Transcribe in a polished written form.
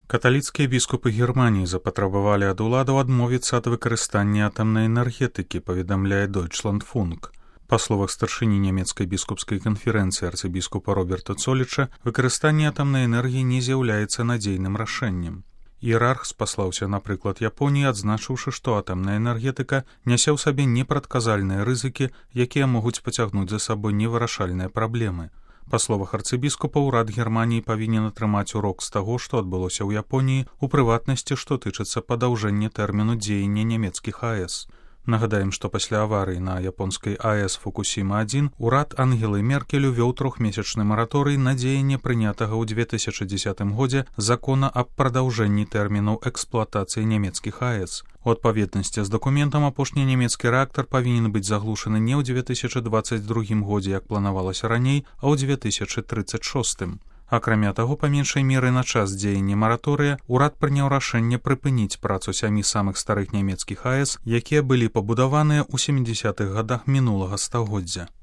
Каталіцкія біскупы Германіі запатрабавалі ад уладаў адмовіцца ад выкарыстання атамнай энергетыкі, паведамляе Deutschlandfunk. Па словах старшыні нямецкай біскупскай канферэнцыі арцыбіскупа Роберта Цоліча, выкарыстанне атамнай энергіі не з'яўляецца надзейным рашэннем. Іерарх спаслаўся на прыклад Японіі, адзначыўшы, што атамная энергетыка нясе ў сабе непрадказальныя рызыкі, якія могуць пацягнуць за сабой невырашальныя праблемы. Па словах арцыбіскупа, урад Германіі павінен атрымаць урок з таго, што адбылося ў Японіі, у прыватнасці, што тычыцца падаўжэння тэрміну дзеяння нямецкіх АЭС. Нагадаем, што пасля аварыі на японскай АЭС Фукусіма-1 урад Ангелы Меркель увёў трохмесячны мараторый на дзеянне прынятага ў 2010 годзе закона аб прадаўжэнні тэрмінаў эксплуатацыі нямецкіх АЭС. У адпаведнасці з дакументам апошні нямецкі рэактар павінен быць заглушаны не ў 2022 годзе, як планавалася раней, а ў 2036. Акрамя таго, па меншай меры на час дзеяння мараторыя урад прыняў рашэнне прыпыніць працу 7 самых старых нямецкіх АЭС, якія былі пабудаваныя ў 70-х гадах мінулага стагоддзя.